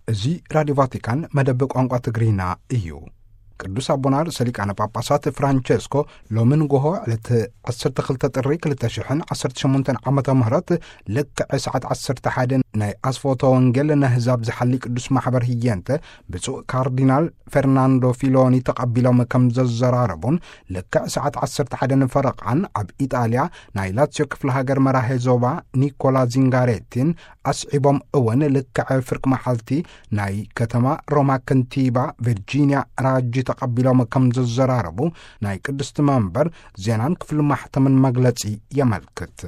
እዚ ራዲዮ ቫቲካን መደብ ቋንቋ ትግርኛ እዩ። ቅዱስ ኣቦና ርእሰ ሊቃነ ጳጳሳት ፍራንቸስኮ ሎሚ ንጎሆ ዕለት ዓሰርተ ክልተ ጥሪ ክልተ ሽሕን ዓሰርተ ሸሞንተን ዓመተ ምህረት ልክዕ ሰዓት ዓሰርተ ሓደ ናይ ኣስፎቶ ወንጌል ነህዛብ ዝሓሊ ቅዱስ ማሕበር ህየንተ ብፁዕ ካርዲናል ፈርናንዶ ፊሎኒ ተቐቢሎም ከም ዘዘራረቡን፣ ልክዕ ሰዓት ዓሰርተ ሓደ ንፈረቓን ኣብ ኢጣልያ ናይ ላትዮ ክፍለ ሃገር መራሄ ዞባ ኒኮላ ዚንጋሬቲን ኣስዒቦም እውን ልክዕ ፍርቂ መዓልቲ ናይ ከተማ ሮማ ከንቲባ ቪርጂንያ ራጂ ተቐቢሎም ከም ዘዘራረቡ ናይ ቅድስቲ መንበር ዜናን ክፍሊ ማሕተምን መግለጺ የመልክት።